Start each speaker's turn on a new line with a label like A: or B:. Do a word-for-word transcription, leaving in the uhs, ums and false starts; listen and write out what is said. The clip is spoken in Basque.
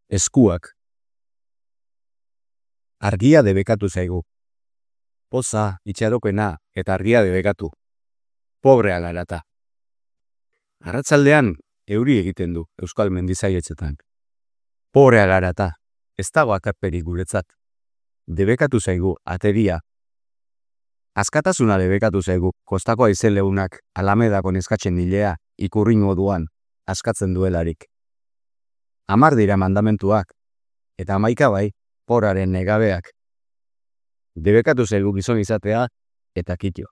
A: Eskuak. Argia debekatu zaigu. Poza, itxaropena eta argia debekatu. Pobrea garata. Arratzaldean euri egiten du euskal mendizaietxetan. Pobrea garata. Ez dago akarperik guretzat. Debekatu zaigu ateria. Askatasuna debekatu zaigu kostako haize leunak Alamedako neskatzen hilea ikurri moduan askatzen duelarik. Hamar dira mandamentuak, eta hamaika bai, poraren negabeak. Debekatu zaigu gizon izatea eta kitio.